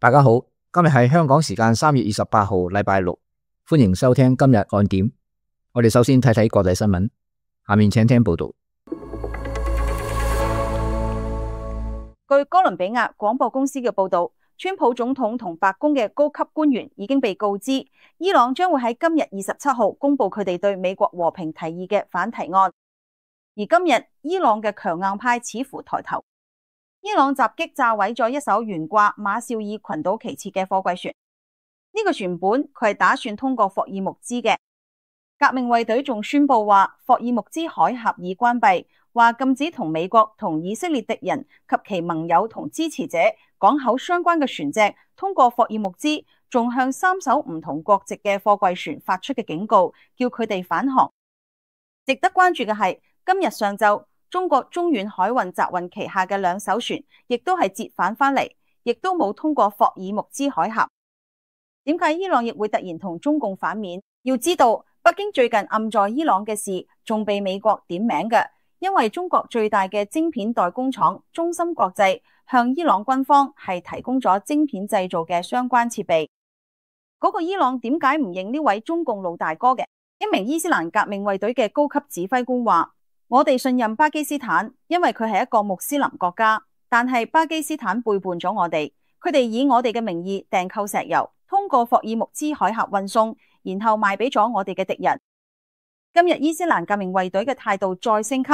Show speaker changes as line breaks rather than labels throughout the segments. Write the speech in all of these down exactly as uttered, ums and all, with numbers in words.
大家好，今日係香港時間三月二十八號，禮拜六，歡迎收聽今日看點。我哋首先睇睇國際新聞，下面請聽報道。
據哥倫比亞廣播公司嘅報道，川普總統同白宮嘅高級官員已經被告知，伊朗將會喺今日二十七號公布佢哋對美國和平提議嘅反提案。而今日伊朗嘅強硬派似乎抬頭。伊朗襲擊炸毀咗一艘懸掛馬紹爾群島旗幟嘅貨櫃船，呢、這個船本佢係打算通過霍爾木茲嘅。革命衛隊仲宣布話霍爾木茲海峽已關閉，話禁止同美國同以色列敵人及其盟友同支持者港口相關嘅船隻通過霍爾木茲，仲向三艘唔同國籍嘅貨櫃船發出嘅警告，叫佢哋返航。值得關注嘅係今日上晝，中國中遠海運集運旗下嘅兩艘船，亦都係折返返嚟，亦都冇通過霍爾木茲海峽。點解伊朗亦會突然同中共反面？要知道，北京最近暗在伊朗嘅事，仲被美國點名嘅，因為中國最大嘅晶片代工廠中芯國際向伊朗軍方係提供咗晶片製造嘅相關設備。嗰、那個伊朗點解唔認呢位中共老大哥嘅？一名伊斯蘭革命衛隊嘅高級指揮官話：我哋信任巴基斯坦，因為佢係一個穆斯林國家，但係巴基斯坦背叛咗我哋，佢哋以我哋嘅名義訂購石油，通過霍爾木茲海峽運送，然後賣俾咗我哋嘅敵人。今日伊斯蘭革命衛隊嘅態度再升級，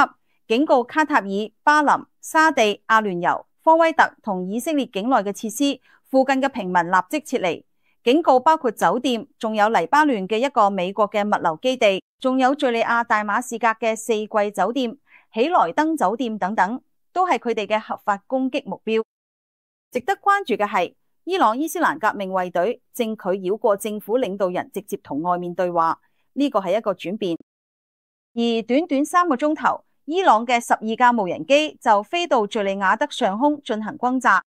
警告卡塔爾、巴林、沙地、阿聯酋、科威特同以色列境內嘅設施，附近嘅平民立即撤離。警告包括酒店，仲有黎巴嫩嘅一個美國嘅物流基地，仲有敘利亞大馬士革嘅四季酒店、喜來登酒店等等，都係佢哋嘅合法攻擊目標。值得關注嘅係，伊朗伊斯蘭革命衛隊正拒繞過政府領導人，直接同外面對話，呢個係一個轉變。而短短三個鐘頭，伊朗嘅十二架無人機就飛到敘利亞德上空進行轟炸。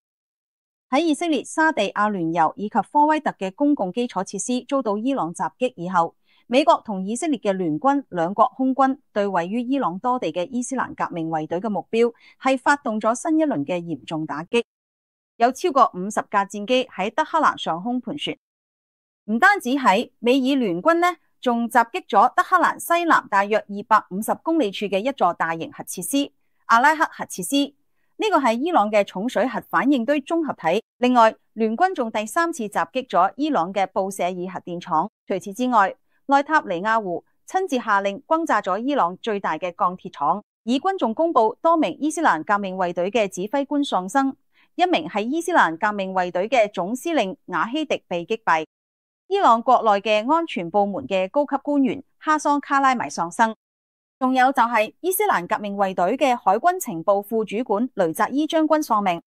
喺以色列、沙地、阿聯酋以及科威特嘅公共基礎設施遭到伊朗襲擊以後，美國同以色列嘅聯軍兩國空軍對位於伊朗多地嘅伊斯蘭革命衛隊嘅目標係發動咗新一輪嘅嚴重打擊，有超過五十架戰機喺德黑蘭上空盤旋。唔單止喺美以聯軍呢，仲襲擊咗德黑蘭西南大約二百五十公里處嘅一座大型核設施——阿拉克核設施。呢個係伊朗嘅重水核反應堆綜合體。另外，聯軍仲第三次襲擊咗伊朗嘅布舍爾核電廠。除此之外，內塔尼亞胡親自下令轟炸咗伊朗最大嘅鋼鐵廠。以軍仲公布多名伊斯蘭革命衛隊嘅指揮官喪生，一名係伊斯蘭革命衛隊嘅總司令瓦希迪被擊斃。伊朗國內嘅安全部門嘅高級官員哈桑卡拉米喪生。仲有就係伊斯蘭革命衛隊嘅海軍情報副主管雷扎伊將軍喪命。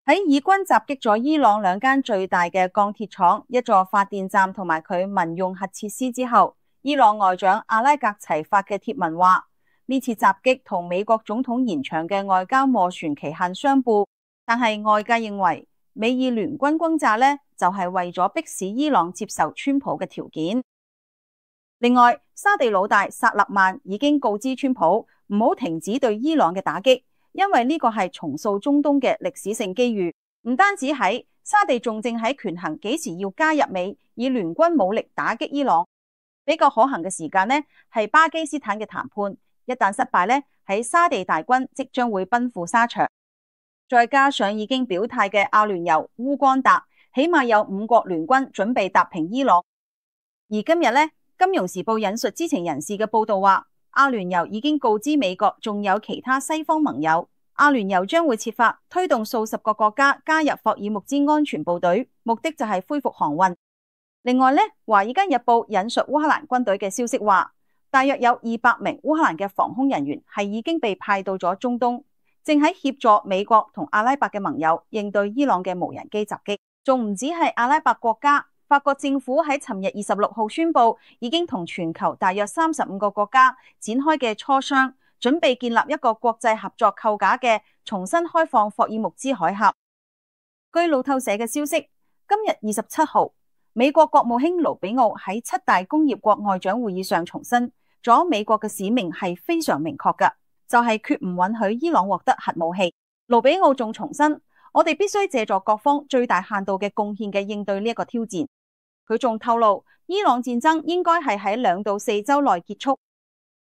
喺以軍襲擊咗伊朗兩間最大嘅鋼鐵廠、一座發電站同埋佢民用核設施之後，伊朗外長阿拉格齊發嘅貼文話：呢次襲擊同美國總統延長嘅外交斡旋期限相悖，但係外界認為美以聯軍轟炸呢，就係為咗迫使伊朗接受川普嘅條件。另外，沙地老大薩勒曼已經告知川普唔好停止對伊朗嘅打擊，因為呢個係重塑中東嘅歷史性機遇。唔單止喺沙地，仲正喺權衡幾時要加入美以聯軍武力打擊伊朗。比較可行嘅時間呢，係巴基斯坦嘅談判，一旦失敗呢，喺沙地大軍即將會奔赴沙場。再加上已經表態嘅阿聯酋、烏干達，起碼有五國聯軍準備踏平伊朗。而今日呢，金融時報引述知情人士嘅報道話，阿聯酋已經告知美國，仲有其他西方盟友，阿聯酋將會設法推動數十個國家加入霍爾木茲安全部隊，目的就係恢復航運。另外呢，華爾街日報引述烏克蘭軍隊嘅消息話，大約有二百名烏克蘭嘅防空人員係已經被派到咗中東，正喺協助美國同阿拉伯嘅盟友應對伊朗嘅無人機襲擊。仲唔止係阿拉伯國家。法國政府喺尋日二十六號宣布，已經同全球大約三十五個國家展開嘅磋商，準備建立一個國際合作構架嘅重新開放霍爾木茲海峽。據路透社嘅消息，今日二十七號，美國國務卿盧比奧喺七大工業國外長會議上重申咗美國嘅使命係非常明確㗎，就係決唔允許伊朗獲得核武器。盧比奧仲重申，我哋必須借助各方最大限度嘅貢獻嘅應對呢一個挑戰。佢仲透露，伊朗戰爭應該係喺兩到四週內結束。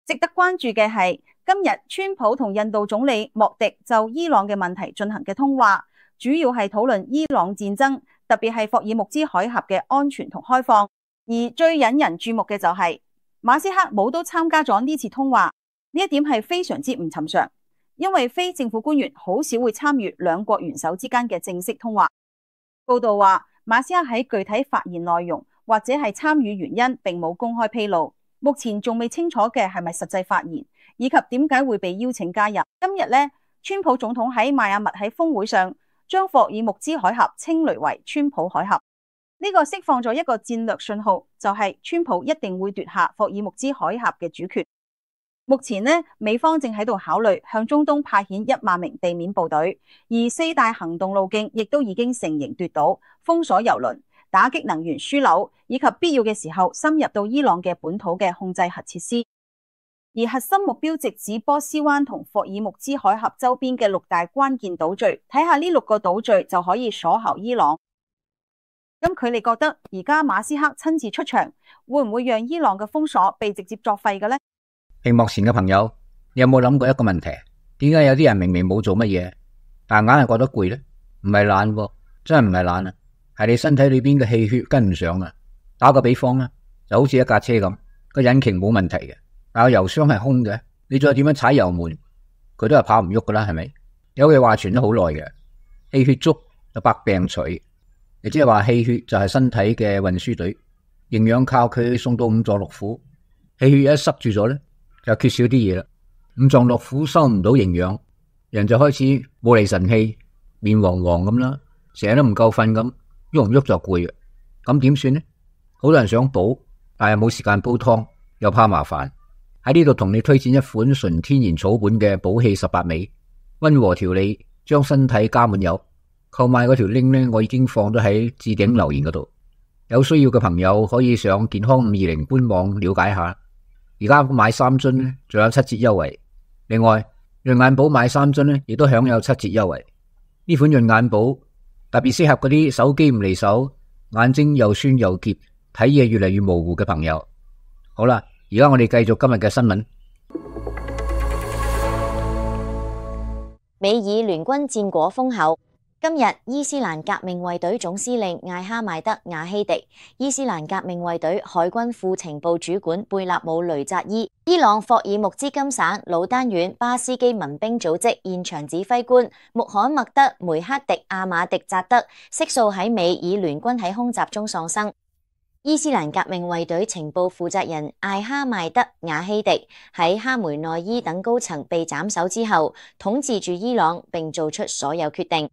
值得關注嘅係，今日川普同印度總理莫迪就伊朗嘅問題進行嘅通話，主要係討論伊朗戰爭，特別係霍爾木茲海峽嘅安全同開放。而最引人注目嘅就係、是、馬斯克冇都參加咗呢次通話，呢一點係非常之唔尋常，因為非政府官員好少會參與兩國元首之間嘅正式通話。報道話，馬斯克喺具體發言內容或者係參與原因並冇公開披露，目前仲未清楚嘅係咪實際發言，以及點解會被邀請加入。今日呢，川普總統喺邁阿密喺峰會上將霍爾木茲海峽稱雷為川普海峽，呢個釋放咗一個戰略信號，就係川普一定會奪下霍爾木茲海峽嘅主權。目前呢，美方正喺度考慮向中東派遣一萬名地面部隊，而四大行動路徑亦都已經成型奪島，封鎖油輪，打擊能源樞紐，以及必要嘅時候深入到伊朗嘅本土嘅控制核設施。而核心目標直指波斯灣同霍爾木茲海峽周邊嘅六大關鍵島嶼，睇下呢六個島嶼就可以鎖喉伊朗。咁佢哋覺得而家馬斯克親自出場，會唔會讓伊朗嘅封鎖被直接作廢嘅呢？
屏幕前嘅朋友，你有冇諗過一個問題？點解有啲人明明冇做乜嘢，但硬係覺得攰呢？唔係懶喎，真係唔係懶啊，係你身體裏邊嘅氣血跟唔上啊。打個比方啦，就好似一架車咁，個引擎冇問題嘅，但係油箱係空嘅，你再點樣踩油門，佢都係跑唔喐噶啦，係咪？有句話傳咗好耐嘅，氣血足就百病除，亦即係話氣血就係身體嘅運輸隊，營養靠佢送到五臟六腑，氣血一塞住咗咧，就缺少啲嘢啦，五臟六腑收唔到營養，人就開始冇厘神氣，面黃黃咁啦，成日都唔夠瞓咁，喐唔喐就攰嘅，咁點算呢？好多人想補，但係冇時間煲湯，又怕麻煩。喺呢度同你推薦一款純天然草本嘅補氣十八味，溫和調理，將身體加滿油。購買嗰條 link 呢，我已經放咗喺置頂留言嗰度，有需要嘅朋友可以上健康五二零官網了解下。而家買三樽呢，仲有七折優惠。另外，潤眼寶買三樽呢，亦都享有七折優惠。呢款潤眼寶特別適合嗰啲手機唔離手、眼睛又酸又澀、睇嘢越嚟越模糊嘅朋友。好啦，而家我哋繼續今日嘅新聞。
美以聯軍戰果豐厚。今日，伊斯蘭革命衛隊總司令艾哈邁德瓦希迪、伊斯蘭革命衛隊海軍副情報主管貝納姆雷扎伊、伊朗霍爾木茲金省魯丹縣巴斯基民兵組織現場指揮官穆罕默德梅克迪阿馬迪扎德悉數喺美以聯軍喺空襲中喪生。伊斯蘭革命衛隊情報負責人艾哈邁德瓦希迪喺哈梅內伊等高層被斬首之後，統治住伊朗並做出所有決定。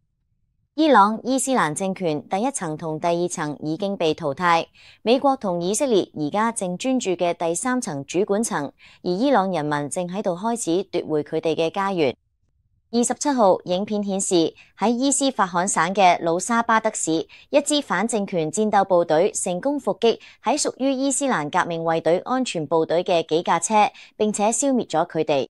伊朗伊斯蘭政權第一層同第二層已經被淘汰，美國同以色列而家正專注嘅第三層主管層，而伊朗人民正喺度開始奪回佢哋嘅家園。二十七號，影片顯示喺伊斯法罕省嘅魯沙巴德市，一支反政權戰鬥部隊成功伏擊喺屬於伊斯蘭革命衛隊安全部隊嘅幾架車，並且消滅咗佢哋。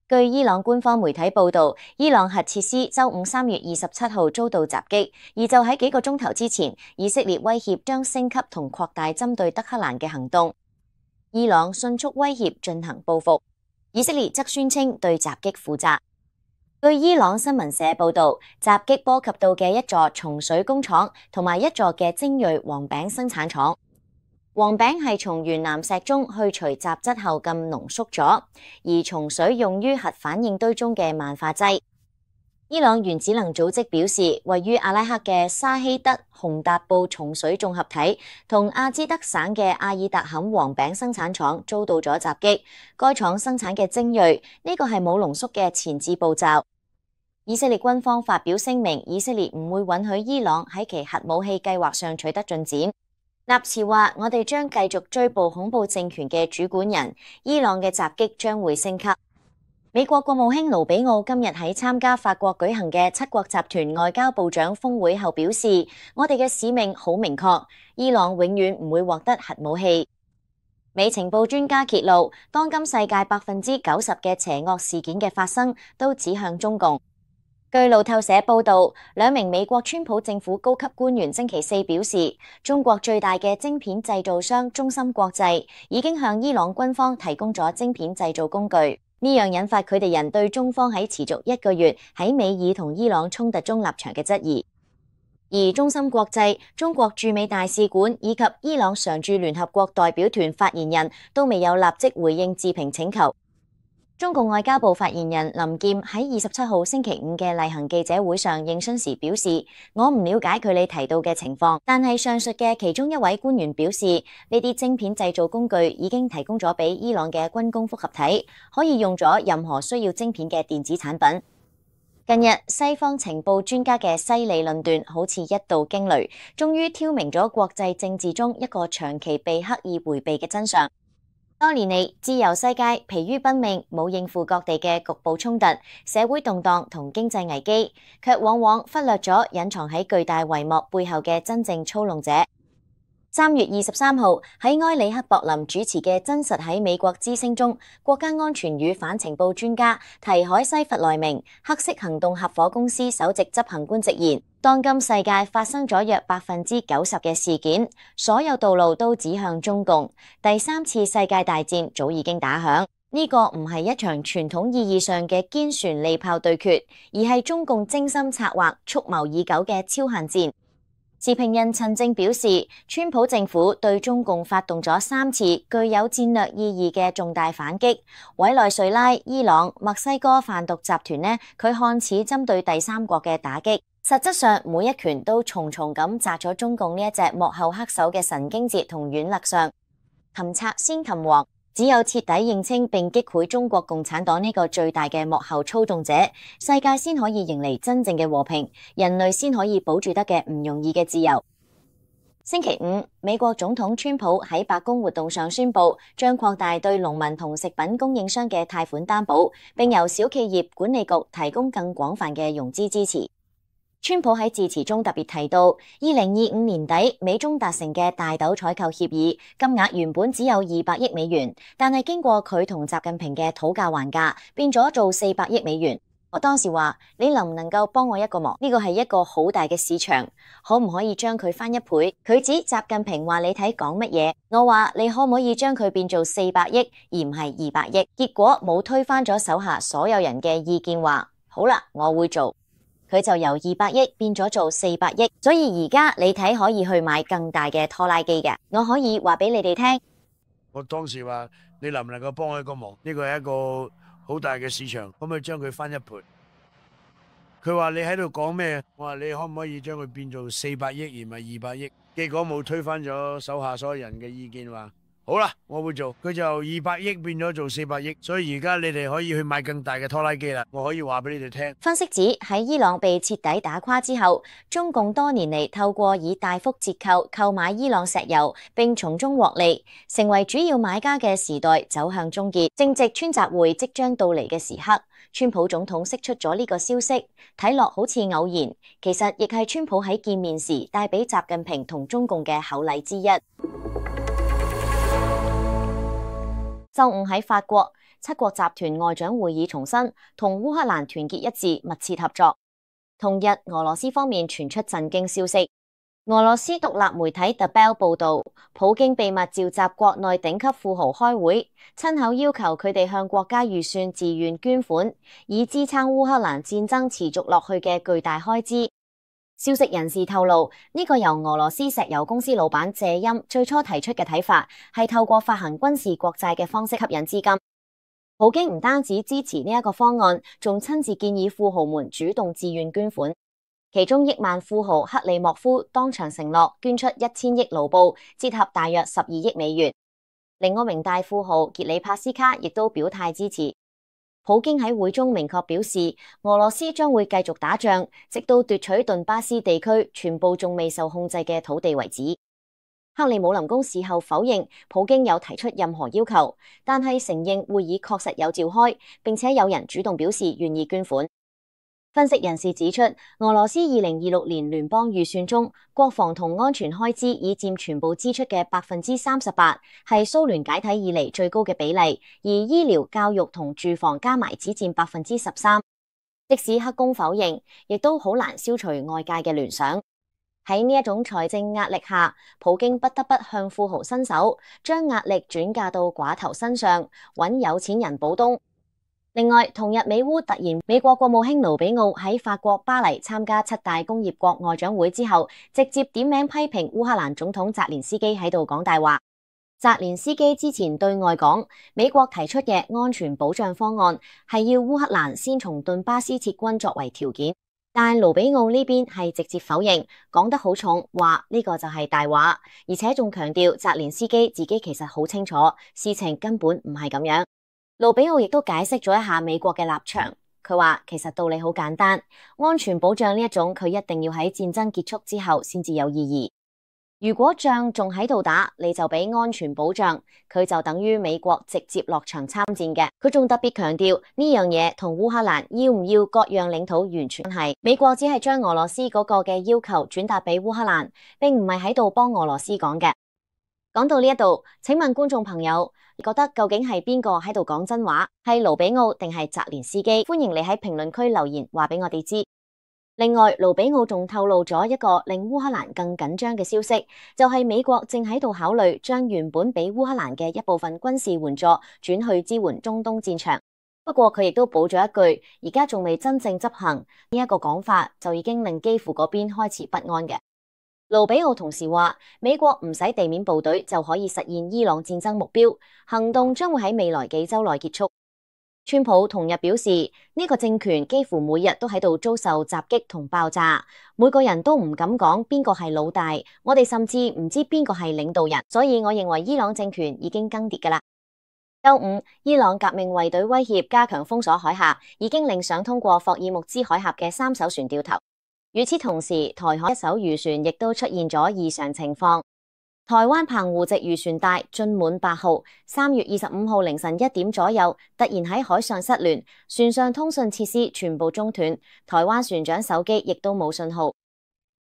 據伊朗官方媒體報道，伊朗核設施周五三月二十七號遭到襲擊，而就喺幾個鐘頭之前，以色列威脅將升級同擴大針對德黑蘭嘅行動。伊朗迅速威脅進行報復，以色列則宣稱對襲擊負責。據伊朗新聞社報道，襲擊波及到嘅一座松水工廠同埋一座嘅精銳黃餅生產廠。黃餅係從原岩石中去除雜質後咁濃縮咗，而松水用於核反應堆中嘅萬化劑。伊朗原子能組織表示，位於阿拉克嘅沙希德洪達布松水綜合體同阿茲德省嘅阿爾達坎黃餅生產廠遭到咗襲擊。該廠生產嘅精銳，呢個係冇濃縮嘅前置步驟。以色列軍方發表聲明，以色列唔會允許伊朗喺其核武器計劃上取得進展。納茨話：我哋將繼續追捕恐怖政權嘅主管人，伊朗嘅襲擊將會升級。美國國務卿盧比奧今日喺參加法國舉行嘅七國集團外交部長峰會後表示：我哋嘅使命好明確，伊朗永遠唔會獲得核武器。美情報專家揭露，當今世界百分之九十嘅邪惡事件嘅發生都指向中共。據路透社報道，兩名美國川普政府高級官員星期四表示，中國最大嘅晶片製造商中芯國際已經向伊朗軍方提供咗晶片製造工具，呢樣引發佢哋人對中方喺持續一個月喺美伊同伊朗衝突中立場嘅質疑。而中芯國際、中國駐美大使館以及伊朗常駐聯合國代表團發言人都未有立即回應置評請求。中共外交部發言人林劍喺二十七號星期五嘅例行記者會上應詢時表示，我唔了解佢哋提到嘅情況，但係上述嘅其中一位官員表示，呢啲晶片製造工具已經提供咗俾伊朗嘅軍工複合體，可以用咗任何需要晶片嘅電子產品。近日，西方情報專家嘅犀利論斷好似一道驚雷，終於挑明咗國際政治中一個長期被刻意迴避嘅真相。多年嚟，自由世界疲於奔命，冇應付各地嘅局部衝突、社會動盪同經濟危機，卻往往忽略咗隱藏喺巨大帷幕背後嘅真正操弄者。三月二十三號喺埃里克博林主持嘅《真實喺美國之聲》中，國家安全與反情報專家提海西弗萊明黑色行動合夥公司首席執行官直言，當今世界發生咗約百分之九十嘅事件，所有道路都指向中共，第三次世界大戰早已經打響。呢個唔係一場傳統意義上嘅堅船利炮對決，而係中共精心策劃、蓄謀已久嘅超限戰。時評人陳正表示，川普政府對中共發動咗三次具有戰略意義嘅重大反擊，委內瑞拉、伊朗、墨西哥販毒集團呢，佢看似針對第三國嘅打擊，實質上每一拳都重重咁砸咗中共呢一隻幕後黑手嘅神經節同軟肋上。擒賊先擒王，只有徹底認清並擊潰中國共產黨呢個最大嘅幕後操縱者，世界先可以迎嚟真正嘅和平，人類先可以保住得嘅唔容易嘅自由。星期五，美國總統川普喺白宮活動上宣布，將擴大對農民同食品供應商嘅貸款擔保，並由小企業管理局提供更廣泛嘅融資支持。川普喺致辭中特別提到，二零二五年底美中達成嘅大豆採購協議，金額原本只有二百億美元，但係經過佢同習近平嘅討價還價，變咗做四百億美元。我當時話，你能唔能夠幫我一個忙？呢個係一個好大嘅市場，可唔可以將佢翻一倍？佢指習近平話你睇講乜嘢，我話你可唔可以將佢變做四百億，而唔係二百億？結果冇推翻咗手下所有人嘅意見，話好啦，我會做。佢就由二百億變咗做四百億，所以而家你睇可以去買更大嘅拖拉機嘅。我可以話俾你哋聽，
我當時話你能唔能夠幫我一個忙？呢個係一個好大嘅市場，可唔可以將佢翻一倍？佢話你喺度講咩？我話你可唔可以將佢變做四百億而唔係二百億？結果冇推翻咗手下所有人嘅意見，話好啦，我會做。佢就由二百億變咗做四百億，所以而家你哋可以去買更大嘅拖拉機啦。我可以話俾你哋聽。
分析指喺伊朗被徹底打垮之後，中共多年嚟透過以大幅折扣購買伊朗石油，並從中獲利，成為主要買家嘅時代走向終結。正值川習會即將到嚟嘅時刻，川普總統釋出咗呢個消息，睇落好似偶然，其實亦係川普喺見面時帶俾習近平同中共嘅厚禮之一。周五喺法國，七國集團外長會議重申同烏克蘭團結一致、密切合作。同日，俄羅斯方面傳出震驚消息。俄羅斯獨立媒體 The Bell 報道，普京秘密召集國內頂級富豪開會，親口要求佢哋向國家預算自願捐款，以支撐烏克蘭戰爭持續落去嘅巨大開支。消息人士透露，呢個由俄羅斯石油公司老闆謝欽最初提出嘅睇法，係透過發行軍事國債嘅方式吸引資金。普京唔單止支持呢一個方案，仲親自建議富豪們主動自願捐款。其中億萬富豪克里莫夫當場承諾捐出一千億盧布，折合大約十二億美元。另一名大富豪傑里帕斯卡亦都表態支持。普京喺會中明確表示，俄羅斯將會繼續打仗，直到奪取頓巴斯地區全部仲未受控制嘅土地為止。克里姆林宮事後否認普京有提出任何要求，但係承認會議確實有召開，並且有人主動表示願意捐款。分析人士指出，俄羅斯二零二六年聯邦預算中，國防同安全開支已佔全部支出嘅百分之三十八，係蘇聯解體以嚟最高嘅比例，而醫療、教育同住房加埋只佔百分之十三。即使黑宮否認，亦都好難消除外界嘅聯想。喺呢一種財政壓力下，普京不得不向富豪伸手，將壓力轉嫁到寡頭身上，揾有錢人補冬。另外，同日美烏突然，美國國務卿盧比奧喺法國巴黎參加七大工業國外長會之後，直接點名批評烏克蘭總統澤連斯基喺度講大話。澤連斯基之前對外講，美國提出嘅安全保障方案係要烏克蘭先從頓巴斯撤軍作為條件。但盧比奧呢邊係直接否認，講得好重，話呢個就係大話，而且仲強調澤連斯基自己其實好清楚，事情根本唔係咁樣。盧比奧亦都解釋咗一下美國嘅立場，佢話其實道理好簡單，安全保障呢一種佢一定要喺戰爭結束之後先至有意義。如果仗仲喺度打，你就俾安全保障，佢就等於美國直接落場參戰嘅。佢仲特別強調呢樣嘢同烏克蘭要唔要各樣領土完全係，美國只係將俄羅斯嗰個嘅要求轉達俾烏克蘭，並唔係喺度幫俄羅斯講嘅。講到呢一度，請問觀眾朋友，你覺得究竟係邊個喺度講真話？係盧比奧定係澤連斯基？歡迎你喺評論區留言話俾我哋知。另外，盧比奧仲透露咗一個令烏克蘭更緊張嘅消息，就係美國正喺度考慮將原本俾烏克蘭嘅一部分軍事援助轉去支援中東戰場。不過佢亦都補咗一句，而家仲未真正執行呢一個講法，就已經令基輔嗰邊開始不安嘅。盧比奧同時話，美國唔使地面部隊就可以實現伊朗戰爭目標，行動將會喺未來幾周內結束。川普同日表示，呢個政權幾乎每日都喺度遭受襲擊同爆炸，每個人都唔敢講邊個係老大，我哋甚至唔知邊個係領導人，所以我認為伊朗政權已經更迭㗎喇。周五，伊朗革命衛隊威脅加強封鎖海峽，已經令想通過霍爾木茲海峽嘅三艘船掉頭。與此同時，台海一艘漁船亦都出現咗異常情況。台灣澎湖籍漁船大晉滿八號，三月二十五號凌晨一點左右，突然喺海上失聯，船上通訊設施全部中斷，台灣船長手機亦都冇信號。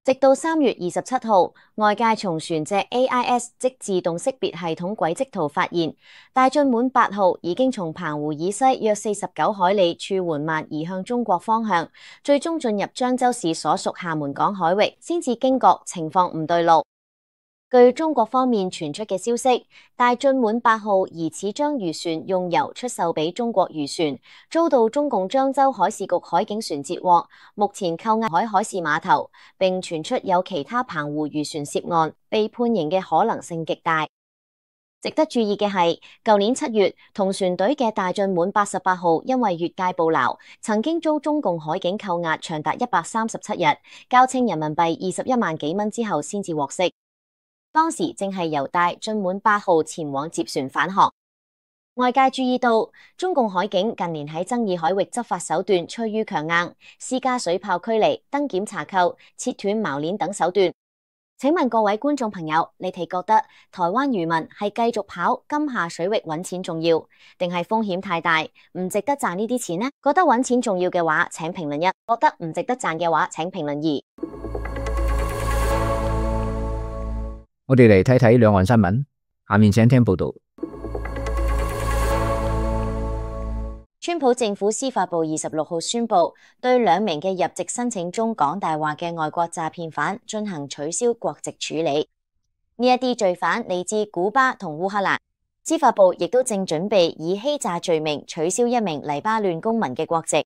直到三月二十七號，外界從船隻 A I S 即自動識別系統軌跡圖發現，大晉滿八號已經從澎湖以西約四十九海里處緩慢移向中國方向，最終進入漳州市所屬廈門港海域，先至驚覺情況唔對路。據中國方面傳出嘅消息，大晉滿八號疑似將漁船用油出售俾中國漁船，遭到中共漳州海事局海警船截獲，目前扣押海海事碼頭，並傳出有其他澎湖漁船涉案，被判刑嘅可能性極大。值得注意嘅係，舊年七月同船隊嘅大晉滿八十八號因為越界捕撈，曾經遭中共海警扣押長達一百三十七日，交清人民幣二十一萬幾蚊之後先至獲釋。當時正係由大晉滿八號前往接船返航。外界注意到，中共海警近年喺爭議海域執法手段趨於強硬，施加水炮驅離、登檢查扣、切斷錨鏈等手段。請問各位觀眾朋友，你哋覺得台灣漁民係繼續跑金廈水域揾錢重要，定係風險太大，唔值得賺呢啲錢呢？覺得揾錢重要嘅話，請評論一；覺得唔值得賺嘅話，請評論二。
我哋嚟睇睇兩岸新聞，下面請聽報道。
川普政府司法部二十六號宣布，對兩名嘅入籍申請中講大話嘅外國詐騙犯進行取消國籍處理。呢一啲罪犯嚟自古巴同烏克蘭，司法部亦都正準備以欺詐罪名取消一名黎巴嫩公民嘅國籍。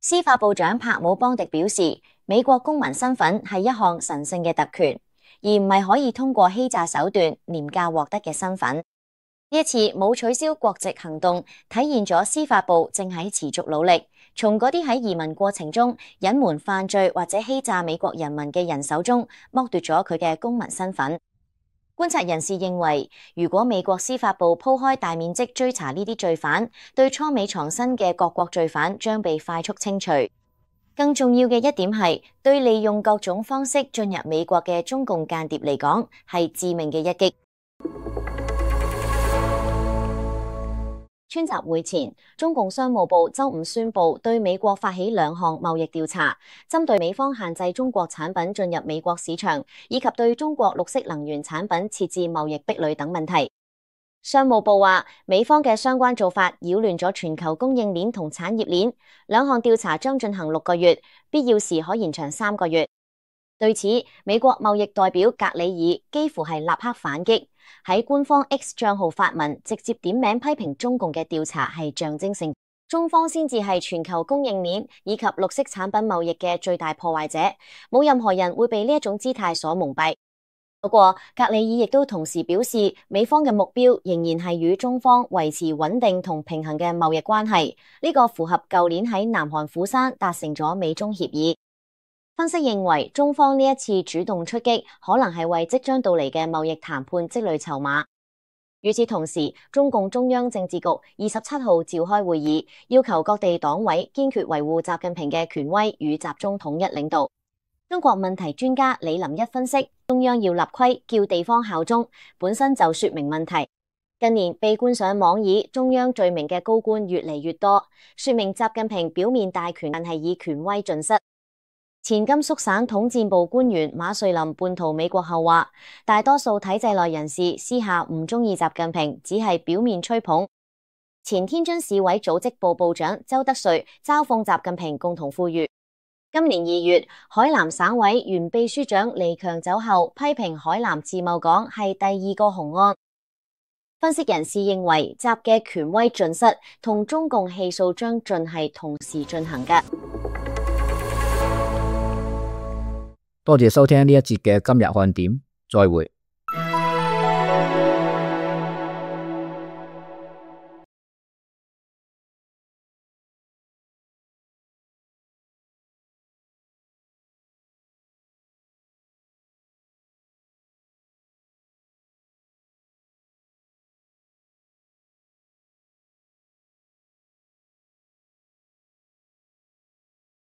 司法部長帕姆邦迪表示，美國公民身份係一項神聖嘅特權，而唔係可以通過欺詐手段廉價獲得嘅身份。呢一次冇取消國籍行動，體現咗司法部正喺持續努力，從嗰啲喺移民過程中隱瞞犯罪或者欺詐美國人民嘅人手中剝奪咗佢嘅公民身份。觀察人士認為，如果美國司法部鋪開大面積追查呢啲罪犯，對初美藏身嘅各國罪犯將被快速清除。更重要嘅一點係，對利用各種方式進入美國嘅中共間諜嚟講，係致命嘅一擊。川習會前，中共商務部周五宣布對美國發起兩項貿易調查，針對美方限制中國產品進入美國市場，以及對中國綠色能源產品設置貿易壁壘等問題。商務部話，美方嘅相關做法擾亂咗全球供應鏈同產業鏈，兩項調查將進行六個月，必要時可延長三個月。對此，美國貿易代表格里爾幾乎係立刻反擊，喺官方 X 賬號發文，直接點名批評中共嘅調查係象徵性，中方先至係全球供應鏈以及綠色產品貿易嘅最大破壞者，冇任何人會被呢一種姿態所蒙蔽。不過，格里爾亦都同時表示，美方嘅目標仍然係與中方維持穩定同平衡嘅貿易關係，呢個符合舊年喺南韓釜山達成咗美中協議。分析認為，中方呢一次主動出擊，可能係為即將到嚟嘅貿易談判積累籌碼。與此同時，中共中央政治局二十七號召開會議，要求各地黨委堅決維護習近平嘅權威與集中統一領導。中國問題專家李林一分析，中央要立規叫地方效忠，本身就說明問題。近年被冠上網以中央罪名嘅高官越嚟越多，說明習近平表面大權，但係以權威盡失。前甘肅省統戰部官員馬瑞林叛逃美國後話，大多數體制內人士私下唔中意習近平，只係表面吹捧。前天津市委組織部部長周德瑞嘲諷習近平共同富裕。今年二月，海南省委原秘書長李強走後，批評海南自貿港係第二個紅案。分析人士認為，習嘅權威盡失同中共氣數將盡係同時進行嘅。
多謝收聽呢一節嘅今日看點，再會。